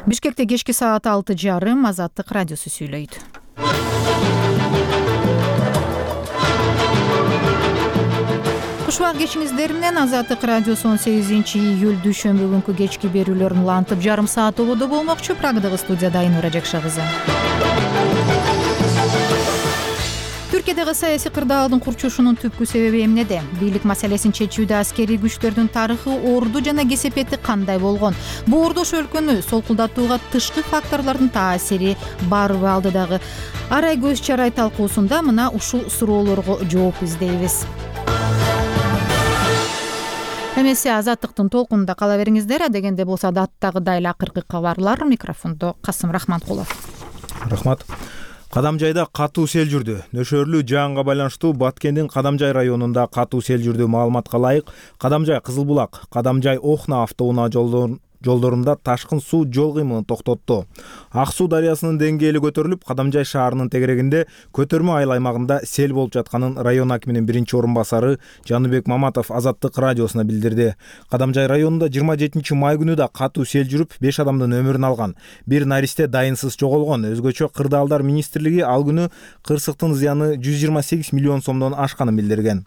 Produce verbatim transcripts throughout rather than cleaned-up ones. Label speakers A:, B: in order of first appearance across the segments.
A: Бишкекте кечки саат алты жарым Азаттык радиосу сүйлөйт. Кушубак кечиңиздер менен Азаттык радиосу он сегизинчи июль дүйшөмбү күнкү кечки берүүлөрүн улантып жарым саат ободо болмокчу. Прагдагы студияда Айнура Жакша кызы. Түркиядагы саясий кырдаалдын курчушунун түпкү себеби эмнеде? Бийлик маселесин чечүүдө аскерий күчтөрдүн тарыхы, орду жана кесепети кандай болгон? Бу ордош өлкөнү солкулдатууга тышкы факторлордун таасири барбы алдыдагы? Арай көз чарай талкуусунда мына ушул суроолорго жооп издейбиз. Эмесе Азаттыктын толкунунда кала бериңиздер. Адегенде болсо даттагыдай эле акыркы кабарлар. Микрофондо Касым Рахматкулов.
B: Рахмат. Кадамжайда катуу сел жүрдү. Нөшөрлүү жаанга байланыштуу Баткендин Кадамжай районунда катуу сел жүрдү. Маалыматка ылайык, Кадамжай Кызылбулак, Кадамжай Охна автоунаа жолдорун жолдорунда ташкын суу жол кыймылын токтотту. Ак суу дарыясынын деңгээли көтөрүлүп, Кадамжай шаарынын тегерегинде көтөрмө айыл аймагында сел болуп жатканын район акиминин биринчи орун басары Жаныбек Маматов Азаттык радиосуна билдирди. Кадамжай районунда жыйырма жетинчи май күнү да катуу сел жүрүп, беш адамдын өмүрүн алган. Бир наристе дайынсыз жоголгон. Өзгөчө Кырдаалдар министрлиги ал күнү кырсыктын зыяны жүз жыйырма сегиз миллион сомдон ашканын билдирген.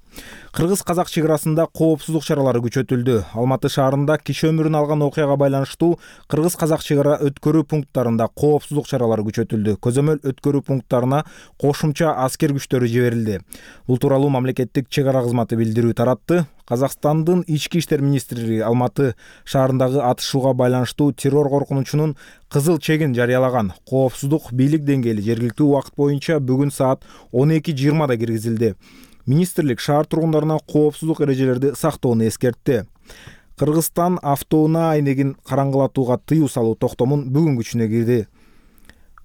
B: Кыргыз-казак чек арасында коопсуздук чаралары күчөтүлдү. Алматы шаарында киши өмүрүн алган окуяга байланыштуу кыргыз-казак чек ара өткөрүү пункттарында коопсуздук чаралары күчөтүлдү. Көзөмөл өткөрүү пункттарына кошумча аскер күчтөрү жиберилди. Бул тууралуу мамлекеттик чек ара кызматы билдирүү таратты. Казакстандын ички иштер министрлиги Алматы шаарындагы атышууга байланыштуу террор коркунучунун кызыл чегин жарыялаган. Коопсуздук бийлик деңгээли жергиликтүү убакыт боюнча бүгүн саат он эки жыйырмада киргизилди. Министрлик шаар тургундарына коопсуздук эрежелерди сактоону эскертти. Кыргызстан автоунаа айнегин караңгылатууга тыюу салуу токтомун бүгүн күчүнө кирди.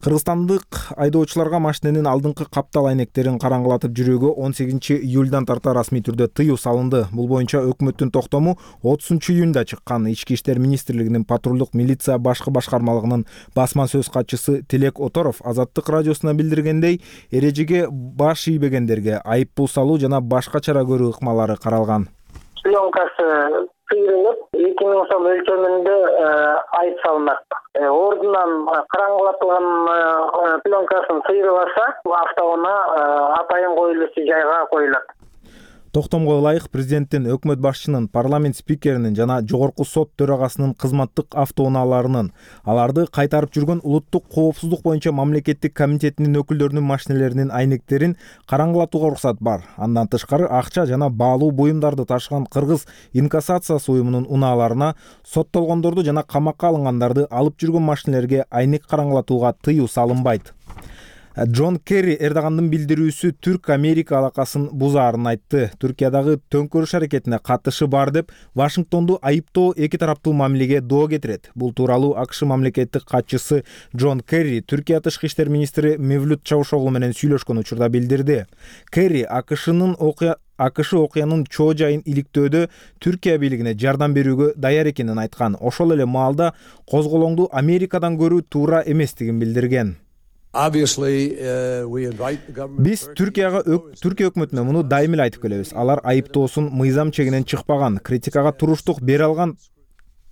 B: Кыргызстандык айдоочуларга машиненин алдыңкы каптал айнектерин караңгылатып жүрүүгө он сегизинчи июльдан тарта расмий түрдө тыюу салынды. Бул боюнча өкмөттүн токтому отузунчу июнда чыккан. Ички иштер министрлигинин патрулдук милиция башкы башкармалыгынын басма сөз катчысы Тилек Оторов Азаттык радиосуна билдиргендей, эрежеге баш ийбегендерге айыппул салуу жана башка чара көрүү ыкмалары каралган.
C: Пленкасы сыйрылып, эки миң сом өлчөмүндө айып салынат. Ордунан караңгылатылган пленкасын сыйрыласа, автоунаа атайын коюлуучу жайга коюлат.
B: Токтомго ылайык, президенттин, өкмөт башчынын, парламент спикеринин жана жогорку сот төрагасынын кызматтык автоунааларынын, аларды кайтарып жүргөн улуттук коопсуздук боюнча мамлекеттик комитетинин өкүлдөрүнүн машинелеринин айнектерин караңгылатууга уруксат бар. Андан тышкары акча жана баалуу буюмдарды ташыган Кыргыз инкассациясы уюмунун унааларына соттолгондорду жана камакка алынгандарды алып жүргөн машинелерге айнек караңгылатууга тыюу салынбайт. Джон Керри Эрдогандын билдирүүсү Түрк-Америка алакасын бузаарын айтты. Түркиядагы төңкөрүш аракетине катышы бар деп Вашингтонду айыптоо эки тараптуу мамилеге доо кетирет. Бул тууралуу АКШ мамлекеттик катчысы Джон Керри Түркия тышкы иштер министри Мевлют Чавушоглу менен сүйлөшкөн учурда билдирди. Керри АКШнын окуя АКШ окуянын чоо жайын иликтөөдө Түркия бийлигине жардам берүүгө даяр экенин айткан. Ошол эле маалда козголоңду Америкадан көрүү туура эместигин билдирген. Биз Түркияга Түркия өкмөтүнө муну дайым эле айтып келебиз. Алар айыптоосун мыйзам чегинен чыкпаган, критикага туруштук бере алган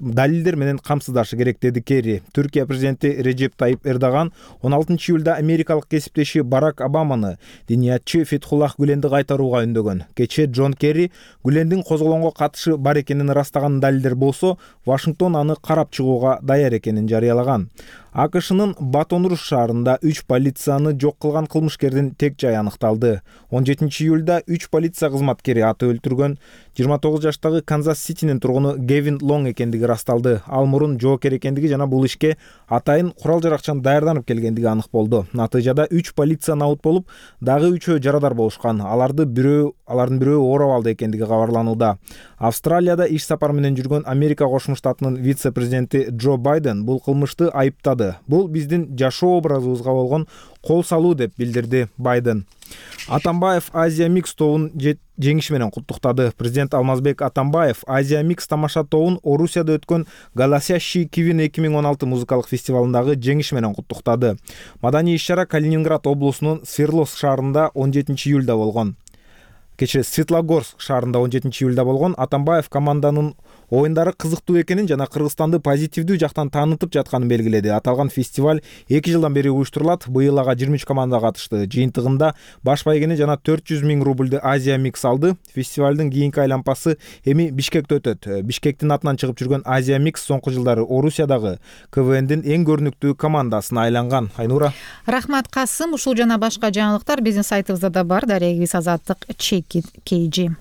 B: далилдер менен камсыздашы керек, деди Керри. Түркия президенти Режеп Тайип Эрдоган он алтынчы июлда америкалык кесиптеши Барак Обаманы диниятчы Фетхуллах Гүленди кайтарууга үндөгөн. Кечээ Джон Керри Гүлендин козголоңго катышы бар экенин ырастаган далилдер болсо, Вашингтон аны карап чыгууга даяр экенин жарыялаган. АКШнын Батон-Руш шаарында үч полицияны жок кылган кылмышкердин тек жайы аныкталды. он жетинчи июлда үч полиция кызматкери аты өлтүргөн жыйырма тогуз жаштагы Канзас-Ситинин тургуну Гевин Лонг экендиги расталды. Ал мурун жоокер экендиги жана бул ишке атайын курал-жаракчан даярданып келгендиги анык болду. Натыйжада үч полиция наут болуп, дагы үчөө жарадар болушкан. Аларды бирөө, алардын бирөө ооруп алды экендиги кабарланууда. Австралияда иш сапар менен жүргөн Америка Кошмо Штатынын вице-президенти Джо Байден бул кылмышты айыптады. Бул биздин жашоо образыбызга болгон кол салуу деп билдирди Байден. Атамбаев Азия Микс тобун жеңиши менен куттуктады. Президент Алмазбек Атамбаев Азия Микс тамаша тобун Орусияда өткөн Голосящий Кивин эки миң он алты музыкалык фестивалындагы жеңиши менен куттуктады. Маданий иш-чара Калининград облусунун Свердловск шаарында он жетинчи июлда болгон. Кечээ Светлогорск шаарында он жетинчи июлда болгон. Атамбаев команданын оюндары кызыктуу экенин жана Кыргызстанды позитивдүү жактан таанытып жатканын белгиледи. Аталган фестиваль эки жылдан бери уюштурулат. Быйыл ага жыйырма үч команда катышты. Жыйынтыгында баш байгени жана төрт жүз миң рубльды Азия Микс алды. Фестивалдын кийинки айлампасы эми Бишкекте өтөт. Бишкектин атынан чыгып жүргөн Азия Микс соңку жылдары Орусиядагы КВНдин эң көрүнүктүү командасына айланган. Айнура.
A: Рахмат Касым. Ушул жана башка жаңылыктар биздин сайтыбызда да бар. Дарегибиз Азаттык Чекит Кейжи.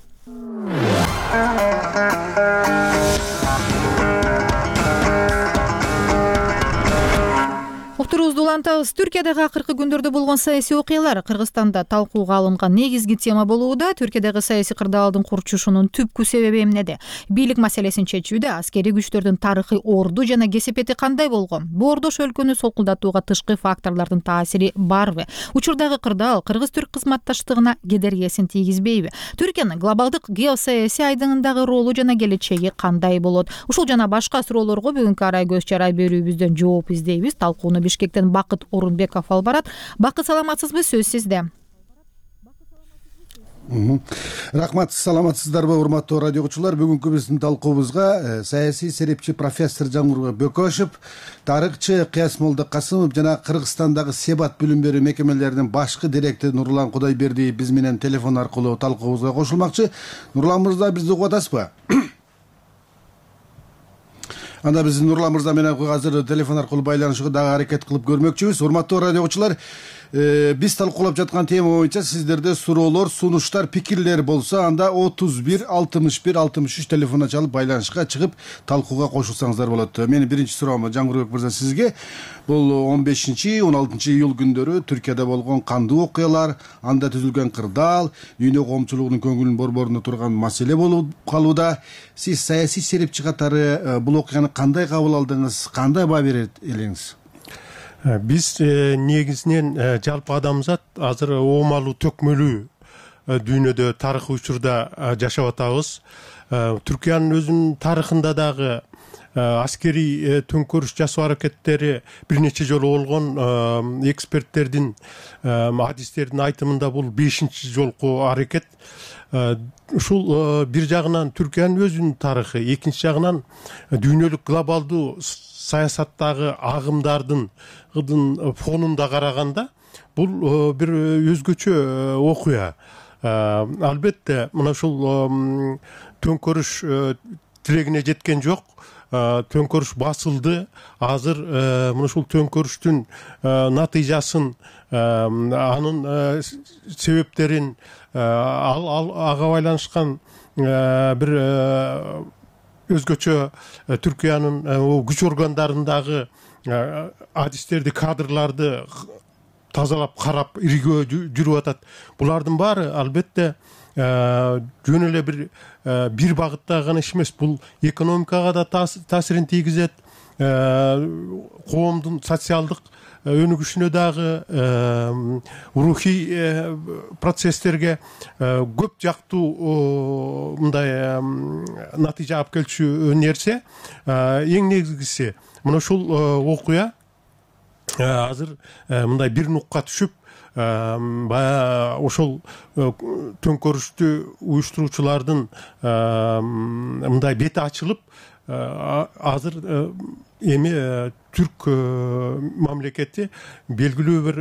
A: Уктуруубузду улантабыз. Түркиядагы акыркы күндөрдө болгон саясий окуялар Кыргызстанда талкууга алынган негизги тема болууда. Түркиядагы саясий кырдаалдын курчушунун түпкү себеби эмнеде? Бийлик маселесин чечүүдө аскерий күчтөрдүн тарыхый орду жана кесепети кандай болгон? Боордош өлкөнү солкулдатууга тышкы факторлордун таасири барбы? Учурдагы кырдаал кыргыз-түрк кызматташтыгына кедергисин тийгизбейби? Түркиянын глобалдык геосаясий айдыңындагы ролу жана келечеги кандай болот? Ушул жана башка суроолорго бүгүнкү арай көз чарай берүүбүздөн жооп издейбиз. Талкууну Бишкектен Бакыт Орунбеков алып барат. Бакыт, саламатсызбы? Сөз сизде.
D: Рахмат, саламатсыздарбы урматтуу радио угуучулар? Бүгүнкү биздин талкуубузга саясий серепчи профессор Жаңгурбек Бөкөшев, тарыхчы Кыяс Молдокасымов жана Кыргызстандагы Себат билим берүү мекемелеринин башкы директору Нурлан Кудайбердиев биз менен телефон аркылуу талкуубузга кошулмакчы. Нурлан мырза, бизди угуп атасызбы? Анда биз Нурлан мырза менен азыр телефон аркылуу байланышууга дагы аракет кылып көрмөкчүбүз. Урматтуу радио угуучулар, биз талкуулап жаткан тема боюнча сиздерде суроолор, сунуштар, пикирлер болсо, анда отуз бир алтымыш бир алтымыш үч телефонуна чалып байланышка чыгып талкууга кошулсаңыздар болот. Менин биринчи суроом Жаңгурбек мырза сизге. Бул он бешинчи он алтынчы июль күндөрү Түркияда болгон кандуу окуялар, анда түзүлгөн кырдаал, дүйнө коомчулугунун көңүлүн борборуна турган маселе болуп калууда. Сиз саясий серепчи катары бул окуяны кандай кабыл алдыңыз, кандай баа берет элеңиз?
E: Биз негизинен жалпы адамзат азыр оомалуу төкмөлүү дүйнөдө тарыхый учурда жашап атабыз. Түркиянын өзүнүн тарыхында дагы аскерий төңкөрүш жасоо аракеттери бир нече жолу болгон. Эксперттердин, адистердин айтымында бул бешинчи жолку аракет. Ушул бир жагынан Түркиянын өзүнүн тарыхы, экинчи жагынан дүйнөлүк глобалдуу саясаттагы агымдардын фонунда караганда бул бир өзгөчө окуя. Албетте мына ушул төңкөрүш тилегине жеткен жок. Төңкөрүш басылды. Азыр мына ушул төңкөрүштүн натыйжасын, анын себептерин, ага байланышкан бир өзгөчө Түркиянын күч органдарындагы адистерди, кадрларды тазалап карап иргөө жүрүп атат. Булардын баары албетте жөн эле бир бир багытта гана иш эмес. Бул экономикага да таасирин тийгизет, коомдун социалдык өнүгүшүнө дагы, рухий процесстерге көп жактуу мындай натыйжа алып келчү нерсе. Эң негизгиси мына ушул окуя азыр мындай бир нукка түшүп, баягы ошол төңкөрүштү уюштуруучулардын мындай бети ачылып, азыр эми түрк мамлекети белгилүү бир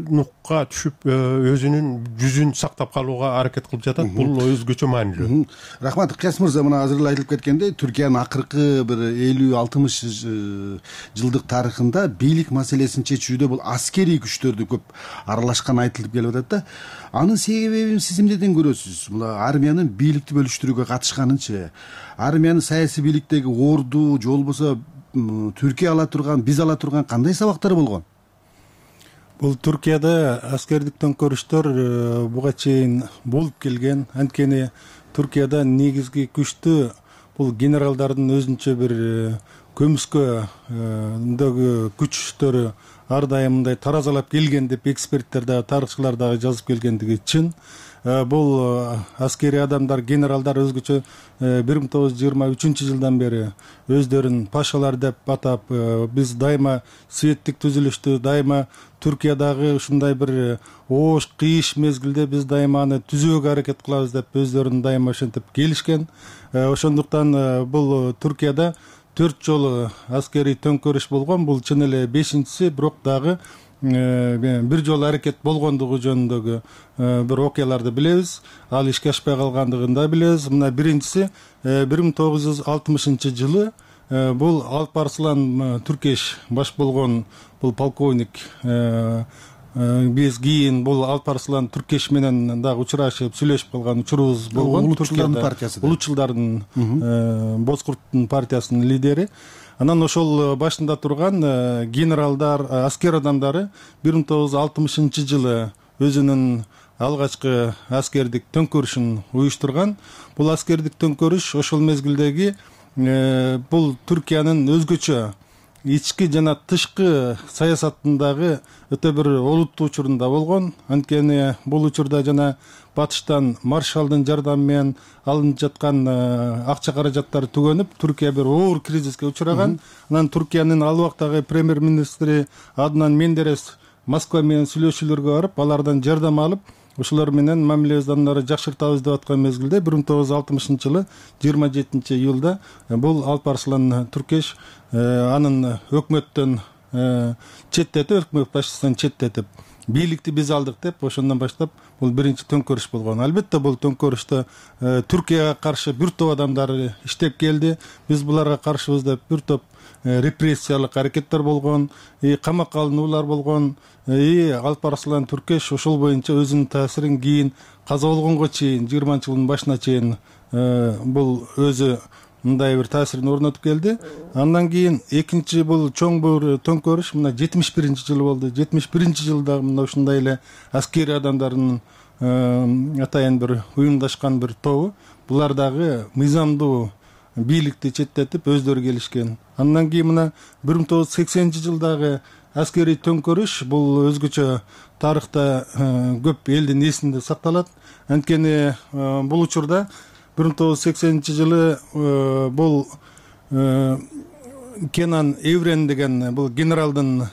E: нукка түшүп, өзүнүн жүзүн сактап калууга аракет кылып жатат. Бул өзгөчө маанилүү.
D: Рахмат. Кыяс мырза, мына азыр эле айтылып кеткендей, Түркиянын акыркы бир элүү алтымыш жылдык тарыхында бийлик маселесин чечүүдө бул аскерий күчтөрдү көп аралашканы айтылып келип атат да. Анын себебин сиз эмнеден көрөсүз? Мына армиянын бийликти бөлүштүрүүгө катышканынчы, армиянын саясий бийликтеги орду же болбосо Түркия ала турган, биз ала турган кандай сабактар болгон?
F: Бул Түркияда аскердик төңкөрүштөр буга чейин болуп келген. Анткени Түркияда негизги күчтү бул генералдардын өзүнчө бир көмүскөдөгү күчтөрү ар дайым мындай таразалап келген деп эксперттер дагы, тарыхчылар дагы жазып келгендиги чын. бул аскерий адамдар, генералдар өзгөчө бир миң тогуз жүз жыйырма үчүнчү жылдан бери өздөрүн пашалар деп атап, биз дайыма светтик түзүлүштү, дайыма Түркиядагы ушундай бир оош кыйыш мезгилде биз дайыма аны түзүүгө аракет кылабыз деп өздөрүн дайыма ошентип келишкен. Ошондуктан бул Түркияда төрт жолу аскерий төңкөрүш болгон. Бул чын эле бешинчиси, бирок дагы бир жолу аракет болгондугу жөнүндөгү бир окуяларды билебиз. Ал ишке ашпай калгандыгын да билебиз. Мына биринчиси бир миң тогуз жүз алтымышынчы жылы бул Алпарслан Түркеш баш болгон бул полковник, биз кийин бул Алпарслан Түркеш менен дагы учурашып сүйлөшүп калган учурубуз болгон.
D: Улутчулдардын партиясы.
F: Улутчулдардын Бозкурттун партиясынын лидери. Анан ошол башында турган генералдар, аскер адамдары бир миң тогуз жүз алтымышынчы жылы өзүнүн алгачкы аскердик төңкөрүшүн уюштурган. Бул аскердик төңкөрүш ошол мезгилдеги бул Түркиянын өзгөчө ички жана тышкы саясатындагы өтө бир олуттуу учурунда болгон. Анткени бул учурда жана батыштан маршалдын жардамы менен алынып жаткан акча каражаттары түгөнүп, Түркия бир оор кризиске учураган. Анан Түркиянын ал убактагы премьер-министри Аднан Мендерес Москва менен сүйлөшүүлөргө барып, алардан жардам алып, ошолор менен мамилебизди ары жакшыртабыз деп аткан мезгилде бир миң тогуз жүз алтымышынчы жылы жыйырма жетинчи июлда бул Алпарслан Түркеш анын өкмөттөн четтетип, өкмөт башчысынан четтетип, бийликти биз алдык деп, ошондон баштап бул биринчи төңкөрүш болгон. Албетте бул төңкөрүштө Түркияга каршы бир топ адамдар иштеп келди. Биз буларга каршыбыз деп бир топ репрессиялык аракеттер болгон, камакка алынуулар болгон. Алпарслан Түркеш ошол боюнча өзүнүн таасирин кийин каза болгонго чейин, жыйырманчы жылдын башына чейин бул өзү мындай бир таасирин орнотуп келди. Андан кийин экинчи бул чоң бир төңкөрүш мына жетимиш биринчи жылы болду. жетимиш биринчи жылда мына ушундай эле аскерий адамдардын атайын бир уюмдашкан бир тобу, булар дагы мыйзамдуу бийликти четтетип өздөрү келишкен. Андан кийин мына бир миң тогуз жүз сексенинчи жылдагы аскерий төңкөрүш бул өзгөчө тарыхта көп элдин эсинде сакталат. Анткени бул учурда бир миң тогуз жүз сексенинчи жылы бул Кенан Эврен деген бул генералдын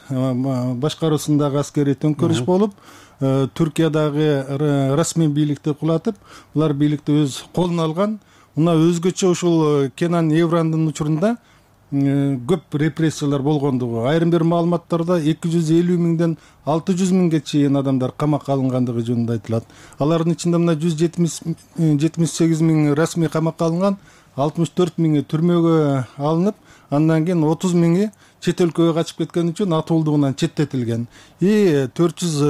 F: башкаруусундагы аскерий төңкөрүш болуп, Түркиядагы расмий бийликти кулатып, булар бийликти өз колуна алган. Мына өзгөчө ушул Кенан Эврандын учурунда көп репрессиялар болгондугу, айрым бир маалыматтарда эки жүз элүү миңден алты жүз миңге чейин адамдар камакка алынгандыгы жөнүндө айтылат. Алардын ичинде мына жүз жетимиш сегиз миң расмий камакка алынган, алтымыш төрт миңи түрмөгө алынып, андан кийин отуз миңи чет өлкөгө качып кеткен үчүн атуулдугунан четтетилген. И төрт жүз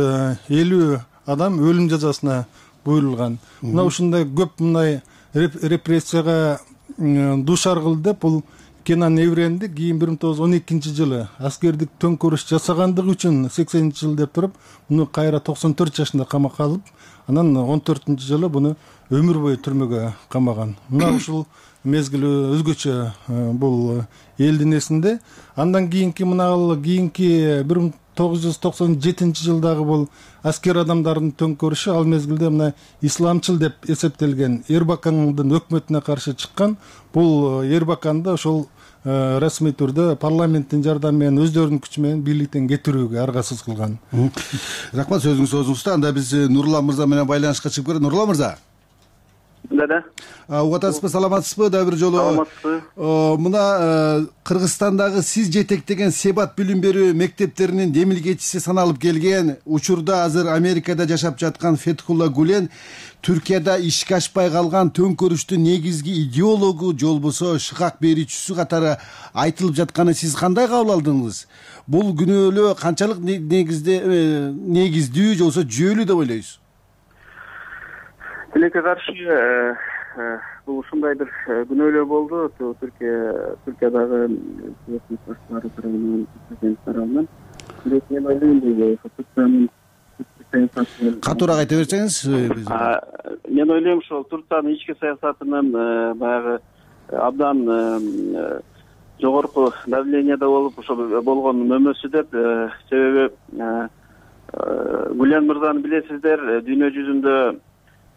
F: элүү адам өлүм жазасына буйрулган. Мына ушундай көп мындай репрессияга дуушар кылды деп бул Кенан Эвренди кийин бир миң тогуз жүз он экинчи жылы аскердик төңкөрүш жасагандыгы үчүн сексенинчи жыл деп туруп, муну кайра токсон төрт жашында камакка алып, анан он төртүнчү жылы буну өмүр бою түрмөгө камаган. Мына ушул мезгил өзгөчө бул элдин эсинде. Андан кийинки мына ал кийинки бир миң тогуз жүз токсон жетинчи жылдагы бул аскер адамдардын төңкөрүшү ал мезгилде мына исламчыл деп эсептелген Эрбакандын өкмөтүнө каршы чыккан. Бул Эрбаканды ошол расмий түрдө парламенттин жардамы менен өздөрүнүн күчү менен бийликтен кетирүүгө аргасыз кылган.
D: Рахмат, сөзүңүз өзүңүздө. Анда биз Нурлан мырза менен байланышка чыгып көрөлү. Нурлан мырза.
C: Да, да.
D: Угуп атасызбы, саламатсызбы? Дагы бир жолу.
C: Саламатсызбы.
D: Мына Кыргызстандагы сиз жетектеген Себат билим берүү мектептеринин демилгечиси саналып келген, учурда азыр Америкада жашап жаткан Фетхулла Гулен Түркияда ишке ашпай калган төңкөрүштүн негизги идеологу, жолбосо шыкак берүүчүсү катары айтылып жатканы сиз кандай кабыл алдыңыз? Бул күнөөлөө канчалык негизде негиздүү же болбосо жүйөлүү деп ойлойсуз?
C: Тилекке каршы бул ушундай бир күнөөлөө болду. Түркия Түркиядагы башчылары тарабынан, президент тарабынан. Бирок мен ойлойм, Турциянын
D: катуураак айта берсеңиз.
C: Мен ойлойм, ошол Турциянын ички саясатынын баягы абдан жогорку давлениеде болуп, ошол болгон мөмөсү деп. Себеби Гулен мырзаны билесиздер, дүйнө жүзүндө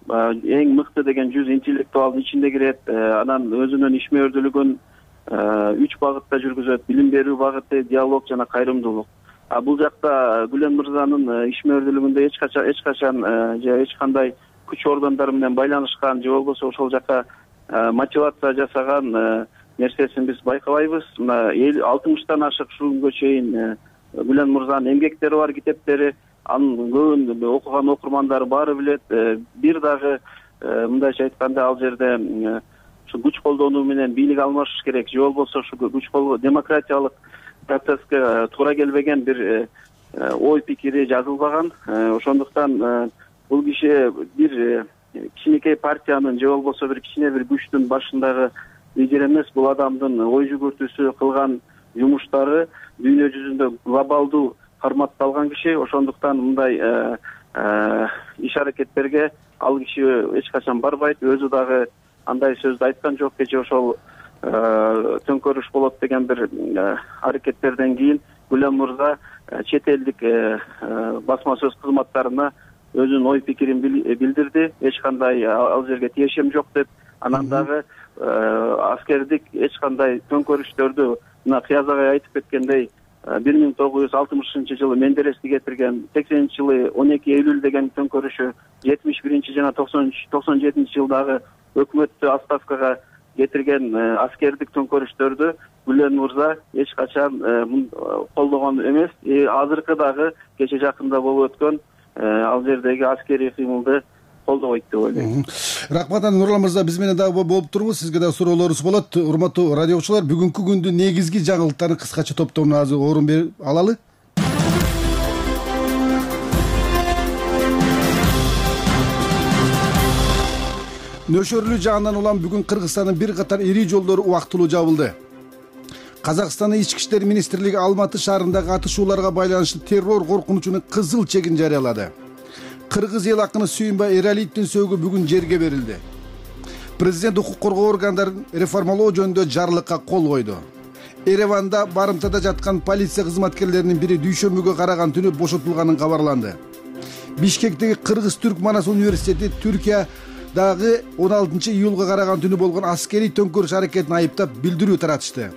C: эң мыкты деген жүз интеллектуалдын ичинде кирет. Анан өзүнүн ишмердүүлүгүн үч багытта жүргүзөт: билим берүү багыты, диалог жана кайрымдуулук. А бул жакта Гүлен мырзанын ишмердүүлүгүндө эч качан эч качан же эч кандай күч ордондору менен байланышкан же болбосо ошол жака мотивация жасаган нерсесин биз байкабайбыз. Мына алтымыштан ашык ушул күнгө чейин Гүлен мырзанын эмгектери бар, китептери, анын көбүн окуган окурмандары баары билет. Бир дагы мындайча айтканда ал жерде ушу күч колдонуу менен бийлик алмашыш керек же болбосо ушу күч колдоо демократиялык процесске туура келбеген бир ой пикири жазылбаган. Ошондуктан бул киши бир кичинекей партиянын же болбосо бир кичине бир күчтүн башындагы лидер эмес. Бул адамдын ой жүгүртүүсү, кылган жумуштары дүйнө жүзүндө глобалдуу карматталган киши. Ошондуктан мындай иш аракеттерге ал киши эч качан барбайт. Өзү дагы андай сөздү айткан жок. Кечээ ошол төңкөрүш болот деген бир аракеттерден кийин Гүлен мырза чет элдик басма сөз кызматтарына өзүнүн ой пикирин билдирди. Эч кандай ал жерге тиешем жок деп. Анан дагы аскердик эч кандай төңкөрүштөрдү мына Кыяз агай айтып кеткендей бир миң тогуз жүз алтымышынчы жылы Мендерести кетирген, сексенинчи жылы он эки июль деген төңкөрүшү, жетимиш биринчи жана токсон жетинчи жылдагы өкмөттү отставкага кетирген аскердик төңкөрүштөрдү Гүлен мырза эч качан колдогон эмес. Азыркы дагы кече жакында болуп өткөн ал жердеги аскерий кыймылды колдобойт деп ойлойм.
D: Рахмат. Нурлан мырза, биз менен дагы болуп туруңуз. Сизге дагы суроолорубуз болот. Урматтуу радио окуучулар, бүгүнкү күндүн негизги жаңылыктарын кыскача топтомуна азыр орун берип алалы. Нөшөрлүү жаандан улам бүгүн Кыргызстандын бир катар ири жолдору убактылуу жабылды. Казакстандын ички иштер министрлиги Алматы шаарындагы атышууларга байланыштуу террор коркунучунун кызыл чегин жарыялады. Кыргыз эл акыны Сүйүнбай Эралиевдин сөөгү бүгүн жерге берилди. Президент укук коргоо органдарын реформалоо жөнүндө жарлыкка кол койду. Ереванда барымтада жаткан полиция кызматкерлеринин бири дүйшөмбүгө караган түнү бошотулганын кабарланды. Бишкектеги Кыргыз-Түрк Манас университети Түркиядагы он алтынчы июлга караган түнү болгон аскерий төңкөрүш аракетин айыптап билдирүү таратышты.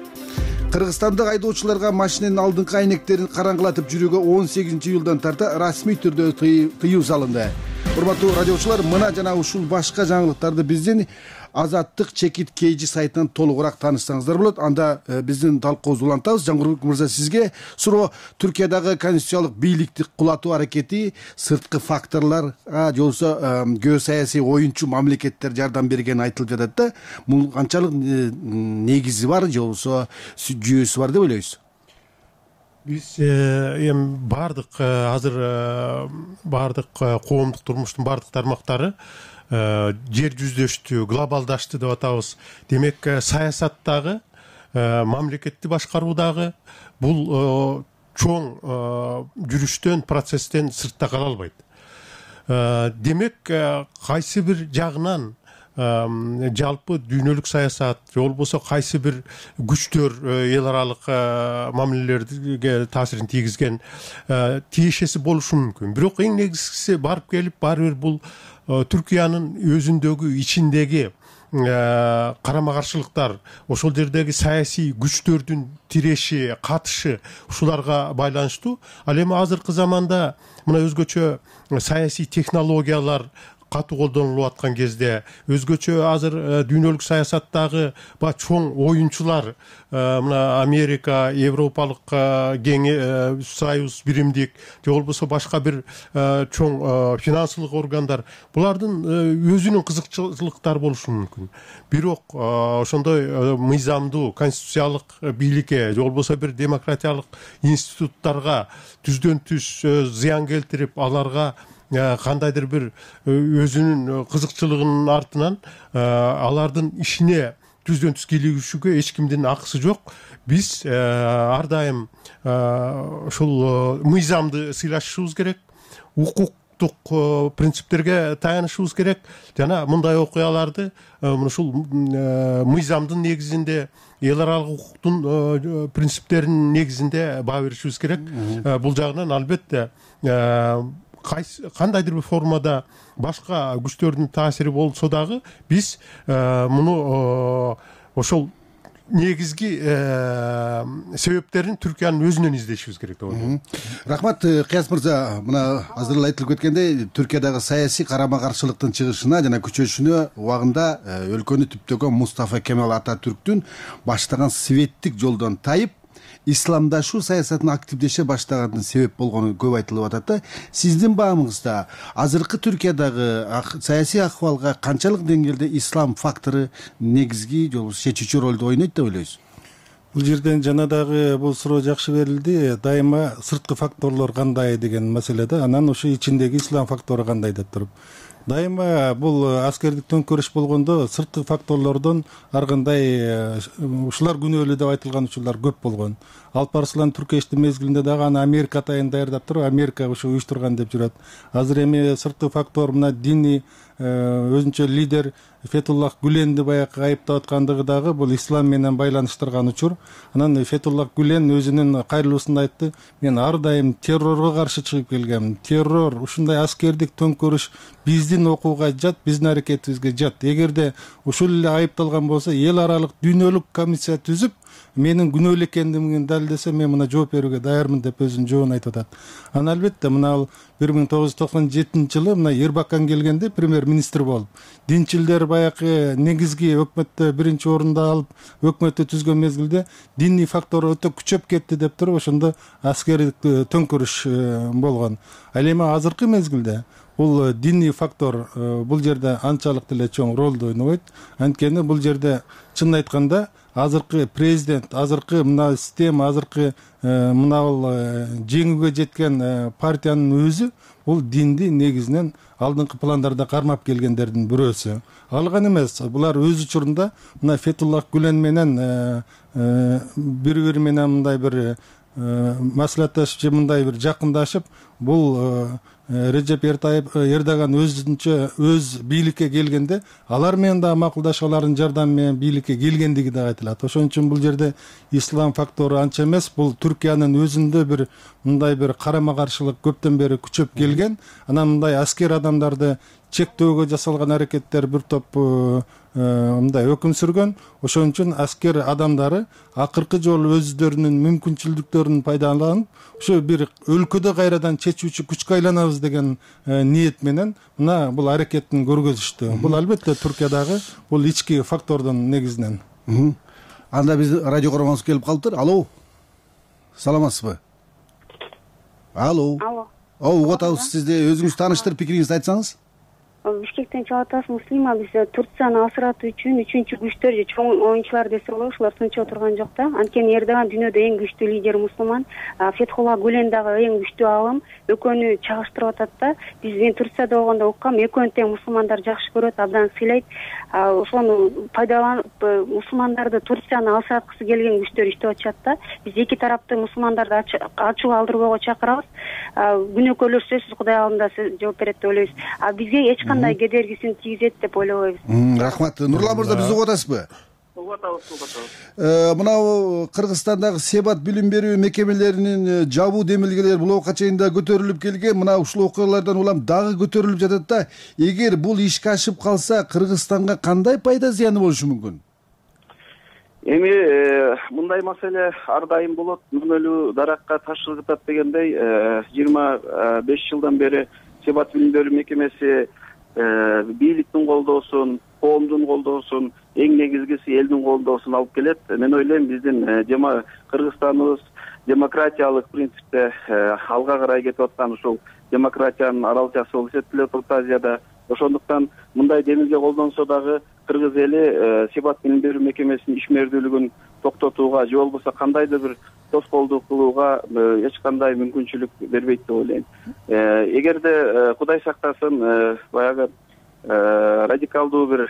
D: Кыргызстандык айдоочуларга машинанын алдыңкы айнектерин караңгылатып жүрүүгө он сегизинчи июлдан тарта расмий түрдө тыюу салынды. Урматтуу радиочулар, мына жана ушул башка жаңылыктарды биздин Азаттык чекит кейжи сайтынан толугураак таанышсаңыздар болот. Анда биздин талкуубузду улантабыз. Жаңгырбек мырза, сизге суроо: Түркиядагы конституциялык бийликти кулатуу аракети сырткы факторлорго же болбосо геосаясий оюнчу мамлекеттер жардам бергени айтылып жатат да. Бул канчалык негизи бар же болбосо жүйөсү бар деп ойлойсуз?
E: Биз эми баардык азыр баардык коомдук турмуштун баардык тармактары жер жүздөштү, глобалдашты деп атабыз. Демек, саясаттагы, мамлекетти башкаруудагы бул чоң жүрүштөн, процесстен сыртта кала албайт. Демек, кайсы бир жагынан жалпы дүйнөлүк саясат же болбосо кайсы бир күчтөр эл аралык мамилелерге таасирин тийгизген тиешеси болушу мүмкүн. Бирок эң негизгиси барып келип баары бир бул Түркиянын өзүндөгү ичиндеги карама каршылыктар, ошол жердеги саясий күчтөрдүн тиреши, катышы, ушуларга байланыштуу. Ал эми азыркы заманда мына өзгөчө саясий технологиялар катуу колдонулуп аткан кезде, өзгөчө азыр дүйнөлүк саясаттагы ба чоң оюнчулар, мына Америка, Европалык кеңеш, Союз, биримдик же болбосо башка бир чоң финансылык органдар, булардын өзүнүн кызыкчылыктары болушу мүмкүн. Бирок ошондой мыйзамдуу конституциялык бийликке же болбосо бир демократиялык институттарга түздөн түз зыян келтирип, аларга кандайдыр бир өзүнүн кызыкчылыгынын артынан алардын ишине түздөн түз кийлигишүүгө эч кимдин акысы жок. Биз ар дайым ушул мыйзамды сыйлашышыбыз керек, укуктук принциптерге таянышыбыз керек жана мындай окуяларды ушул мыйзамдын негизинде, эл аралык укуктун принциптеринин негизинде баа беришибиз керек. Бул жагынан албетте кайсы кандайдыр бир формада башка күчтөрдүн таасири болсо дагы биз муну ошол негизги себептерин Түркиянын өзүнөн издешибиз керек деп ойлойм.
D: Рахмат, Кыяз мырза. Мына азыр эле айтылып кеткендей, Түркиядагы саясий карама каршылыктын чыгышына жана күчөшүнө убагында өлкөнү түптөгөн Мустафа Кемал Ататүрктүн баштаган светтик жолдон тайып исламдашуу саясатын активдеше баштаганын себеп болгону көп айтылып атат да. Сиздин баамыңызда азыркы Түркиядагы саясий акыбалга канчалык деңгээлде ислам фактору негизги жол чечүүчү ролду ойнойт деп ойлойсуз?
F: Бул жерден жана дагы бул суроо жакшы берилди. Дайыма сырткы факторлор кандай деген маселе да, анан ошо ичиндеги ислам фактору кандай деп туруп. Дайыма бул аскердик төңкөрүш болгондо сырткы факторлордон ар кандай ушулар күнөөлүү деп айтылган учурлар көп болгон. Алп Арслан Түркештин мезгилинде дагы аны Америка атайын даярдап туруп, Америка ушу уюштурган деп жүрөт. Азыр эми сырткы фактор мына диний өзүнчө лидер Фетуллах Гүленди баягы айыптап аткандыгы дагы бул ислам менен байланыштырган учур. Анан Фетуллах Гүлен өзүнүн кайрылуусунда айтты: мен ар дайым террорго каршы чыгып келгем. Террор, ушундай аскердик төңкөрүш биздин окууга жат, биздин аракетибизге жат. Эгерде ушул эле айыпталган болсо, эл аралык дүйнөлүк комиссия түзүп, менин күнөөлүү экендигимди далилдесе, мен мына жооп берүүгө даярмын деп өзүнүн жообун айтып атат. Анан албетте мына бир миң тогуз жүз токсон жетинчи жылы мына Эрбакан келгенде премьер-министр болуп, динчилдер баягы негизги өкмөттө биринчи орунду алып, өкмөттү түзгөн мезгилде диний фактор өтө күчөп кетти деп туруп, ошондо аскердик төңкөрүш болгон. Ал эми азыркы мезгилде бул диний фактор бул жерде анчалык деле чоң ролду ойнобойт. Анткени бул жерде чынын айтканда азыркы президент, азыркы мына система, азыркы мына жеңүүгө жеткен партиянын өзү бул динди негизинен алдыңкы пландарда кармап келгендердин бирөөсү. Ал гана эмес, булар өз учурунда мына Фетуллах Гүлен менен бири-бири менен мындай бир маслихатташып же мындай бир жакындашып, бул Режеп Эрдоган өзүнчө өз бийликке келгенде алар менен да макулдашып, алардын жардамы менен бийликке келгендиги да айтылат. Ошон үчүн бул жерде ислам фактору анча эмес, бул Түркиянын өзүндө бир мындай бир карама каршылык көптөн бери күчөп келген. Анан мындай аскер адамдарды чектөөгө жасалган аракеттер бир топ мындай өкүм сүргөн. Ошон үчүн аскер адамдары акыркы жолу өздөрүнүн мүмкүнчүлүктөрүн пайдаланып, ошо бир өлкөдө кайрадан чечүүчү күчкө айланабыз деген ниет менен мына бул аракеттин көргөзүштү. Бул албетте Түркиядагы бул ички фактордун негизинен.
D: Анда биз радио көргөнүбүз келип калыптыр. Алло. Саламатсызбы? Алло.
G: Алло.
D: О, угуп атабыз сизди. Өзүңүз тааныштырып, пикириңизди айтсаңыз.
G: Бишкектен чыгып атабыз. Муслима. Биз Турцияны асыратуу үчүн үчүнчү күчтөр же чоң оюнчулар десе болот, ушулар сынчып отурган жок да. Анткени Эрдоган дүйнөдө эң күчтүү лидер мусулман, Фетхулла Гүлен дагы эң күчтүү алым. Экөөнү чагыштырып атат да. Биз мен Турцияда болгондо уккам, экөөнү тең мусулмандар жакшы көрөт, абдан сыйлайт. Ошону пайдаланып мусулмандарды Турцияны алсаткысы келген күчтөр иштеп атышат да. Биз эки тарапты мусулмандарды ачуу алдырбоого чакырабыз. Күнөөкөрлөр сөзсүз Кудай алдында жооп берет деп ойлойбуз. А бизге эч кандай кедергисин тийгизет деп ойлобойбуз.
D: Рахмат. Нурлан мырза, биз угуп атасызбы?
C: Угуп атабыз, угуп атабыз.
D: Мына Кыргызстандагы Себат билим берүү мекемелеринин жабуу демилгелери блокка чейин да көтөрүлүп келген. Мына ушул окуялардан улам дагы көтөрүлүп жатат да. Эгер бул ишке ашып калса, Кыргызстанга кандай пайда зыяны болушу мүмкүн?
C: Эми мындай маселе ар дайым болот. Мүнөлүү даракка таш ыргытат дегендей, жыйырма беш жылдан бери Себат билим берүү мекемеси бийликтин колдоосун, коомдун колдоосун, эң негизгиси элдин колдоосун алып келет. Мен ойлойм, биздин жема Кыргызстаныбыз демократиялык принципте алга карай кетип аткан ушул демократиянын аралчасы болуп эсептелет Орто Азияда. Ошондуктан мындай демилге колдонсо дагы кыргыз эли Себат билим берүү мекемесинин ишмердүүлүгүн токтотууга же болбосо кандайдыр бир тоскоолдук кылууга эч кандай мүмкүнчүлүк бербейт деп ойлойм. Эгерде Кудай сактасын баягы радикалдуу бир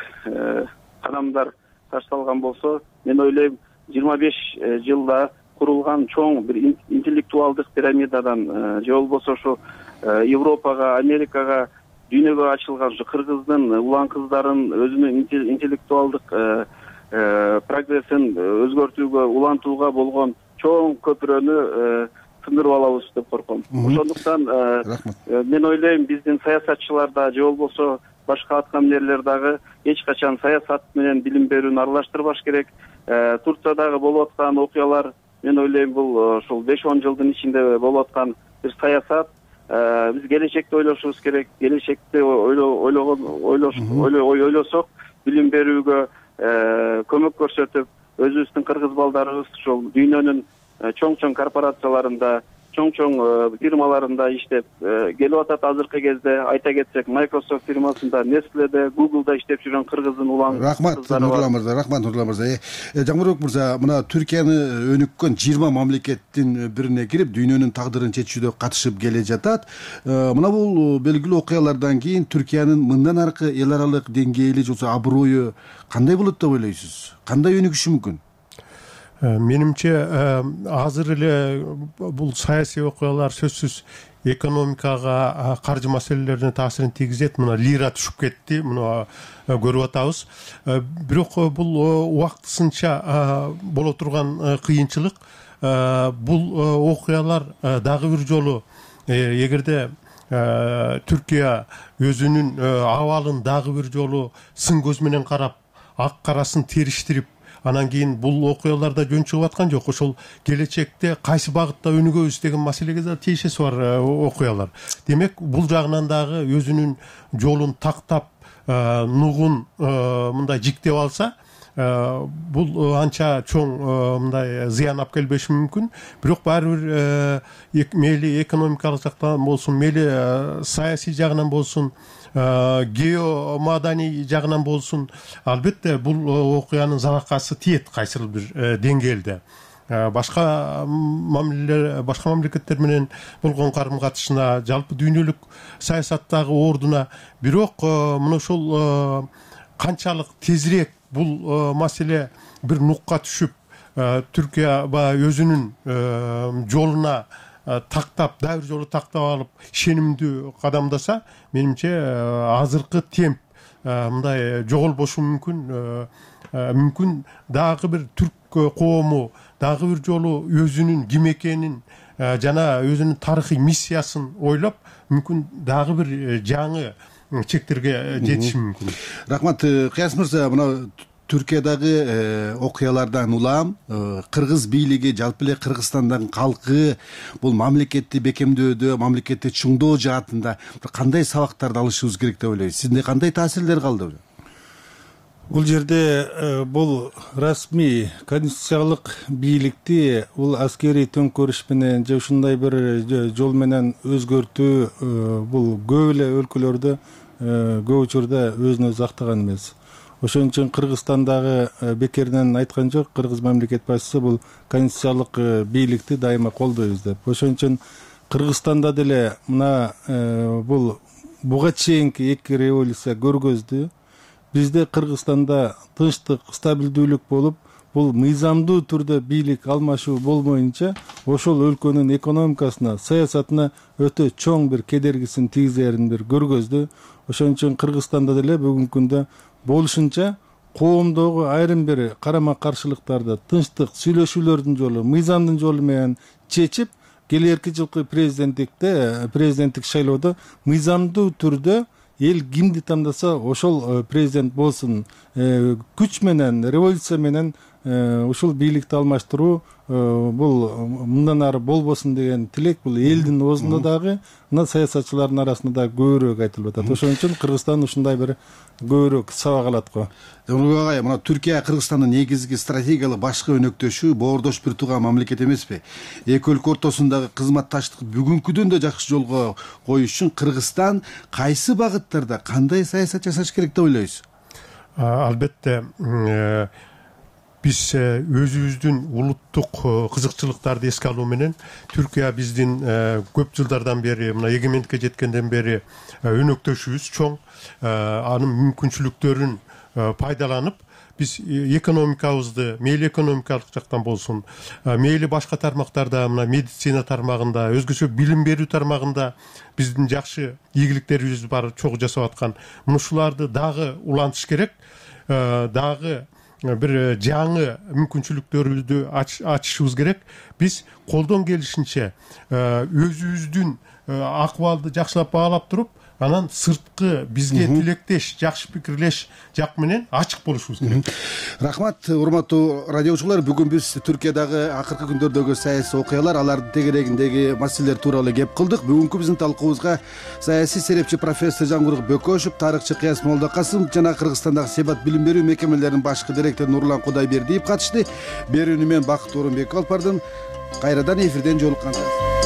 C: кадамдар ташталган болсо, мен ойлойм, жыйырма беш жылда курулган чоң бир интеллектуалдык пирамидадан же болбосо ошо Европага, Америкага, дүйнөгө ачылган ушу кыргыздын улан кыздарын өзүнүн интеллектуалдык прогрессин өзгөртүүгө, улантууга болгон чоң көпүрөнү сындырып алабыз деп корком. Ошондуктан мен ойлойм, биздин саясатчыларда же болбосо башка аткаминерлер дагы эч качан саясат менен билим берүүнү аралаштырбаш керек. Турциядагы болуп аткан окуялар, мен ойлойм, бул ушул беш он жылдын ичинде болуп аткан бир саясат. Биз келечекти ойлошубуз керек. Келечекти ойлогон ойлосок, билим берүүгө көмөк көрсөтүп, өзүбүздүн кыргыз балдарыбыз ушул дүйнөнүн чоң-чоң корпорацияларында, чоң-чоң фирмаларында иштеп келип атат. Азыркы кезде айта кетсек, Microsoft фирмасында, Nestle'де, Google'да иштеп жүргөн кыргыздын улан.
D: Рахмат Нурлан мырза, рахмат Нурлан мырза. Жамбырбек мырза, мына Түркияны өнүккөн жыйырма мамлекеттин бирине кирип, дүйнөнүн тагдырын чечүүдө катышып келе жатат. Мына бул белгилүү окуялардан кийин Түркиянын мындан аркы эл аралык деңгээли же аброю кандай болот деп ойлойсуз? Кандай өнүгүшү мүмкүн?
E: Менимче азыр эле бул саясий окуялар сөзсүз экономикага, каржы маселелерине таасирин тийгизет. Мына лира түшүп кетти, муну көрүп атабыз. Бирок бул убактысынча боло турган кыйынчылык. Бул окуялар дагы бир жолу, эгерде Түркия өзүнүн абалын дагы бир жолу сын көз менен карап, ак карасын териштирип, анан кийин бул окуяларда жөн чыгып аткан жок. Ошол келечекте кайсы багытта өнүгөбүз деген маселеге да тиешеси бар окуялар. Демек, бул жагынан дагы өзүнүн жолун тактап, нугун мындай жиктеп алса, бул анча чоң мындай зыян алып келбеши мүмкүн. Бирок баары бир мейли экономикалык жактан болсун, мейли саясий жагынан болсун, геомаданий жагынан болсун, албетте бул окуянын заракасы тиет кайсыл бир деңгээлде. Башка мамилелер, башка мамлекеттер менен болгон карым катышына, жалпы дүйнөлүк саясаттагы ордуна. Бирок мына ошол канчалык тезирээк бул маселе бир нукка түшүп, Түркия өзүнүн жолуна тактап, дагы бир жолу тактап алып, ишенимдүү кадамдаса, менимче азыркы темп мындай жоголбошу мүмкүн. Мүмкүн дагы бир түрк коому дагы бир жолу өзүнүн ким экенин жана өзүнүн тарыхый миссиясын ойлоп, мүмкүн дагы бир жаңы чектерге жетиши мүмкүн.
D: Рахмат. Кыяс мырза, мына Түркиядагы окуялардан улам кыргыз бийлиги, жалпы эле Кыргызстандын калкы бул мамлекетти бекемдөөдө, мамлекетти чыңдоо жаатында кандай сабактарды алышыбыз керек деп ойлойсуз? Сизде кандай таасирлер калды?
F: Бул жерде бул расмий конституциялык бийликти бул аскерий төңкөрүш менен же ушундай бир жол менен өзгөртүү бул көп эле өлкөлөрдө көп учурда өзүн өзү актаган эмес. Ошон үчүн Кыргызстандагы бекеринен айткан жок, кыргыз мамлекет башчысы бул конституциялык бийликти дайыма колдойбуз деп. Ошон үчүн Кыргызстанда деле мына бул буга чейинки эки революция көргөздү. Бизде Кыргызстанда тынчтык, стабилдүүлүк болуп, бул мыйзамдуу түрдө бийлик алмашуу болмоюнча, ошол өлкөнүн экономикасына, саясатына өтө чоң бир кедергисин тийгизерин бир көргөздү. Ошон үчүн Кыргызстанда деле бүгүнкү күндө болушунча коомдогу айрым бир карама каршылыктарды тынчтык, сүйлөшүүлөрдүн жолу, мыйзамдын жолу менен чечип, келерки жылкы президенттикте, президенттик шайлоодо мыйзамдуу түрдө эл кимди тандаса ошол президент болсун, күч менен, революция менен ушул бийликти алмаштыруу бул мындан ары болбосун деген тилек бул элдин оозунда дагы, мына саясатчылардын арасында да көбүрөөк айтылып атат. Ошон үчүн Кыргызстан ушундай бир көбүрөөк сабак алат го.
D: Жомурбек агай, мына Түркия Кыргызстандын негизги стратегиялык башкы өнөктөшү, боордош бир тууган мамлекет эмеспи? Эки өлкө ортосундагы кызматташтыкты бүгүнкүдөн да жакшы жолго коюш үчүн Кыргызстан кайсы багыттарда кандай саясат жасаш керек деп ойлойсуз?
E: Албетте биз өзүбүздүн улуттук кызыкчылыктарды эске алуу менен Түркия биздин көп жылдардан бери, мына эгемендикке жеткенден бери өнөктөшүбүз чоң. Анын мүмкүнчүлүктөрүн пайдаланып, биз экономикабызды, мейли экономикалык жактан болсун, мейли башка тармактарда, мына медицина тармагында, өзгөчө билим берүү тармагында биздин жакшы ийгиликтерибиз бар, чогуу жасап аткан. Мына ушуларды дагы улантыш керек. Дагы бир жаңы мүмкүнчүлүктөрүбүздү ачышыбыз керек. Биз колдон келишинче өзүбүздүн акыбалды жакшылап баалап туруп, анан сырткы бизге тилектеш, жакшы пикирлеш жак менен ачык болушубуз керек.
D: Рахмат, урматтуу радиочулар. Бүгүн биз Түркиядагы акыркы күндөрдөгү саясий окуялар, алардын тегерегиндеги маселелер тууралуу кеп кылдык. Бүгүнкү биздин талкуубузга саясий серепчи профессор Жангурк Бөкөшев, тарыхчы Кыяс Молдокасым жана Кыргызстандагы Себат билим берүү мекемелеринин башкы директору Нурлан Кудайбердиев катышты. Берүүнү мен Бакыт Орунбеков алып бардым. Кайрадан эфирден жолукканча.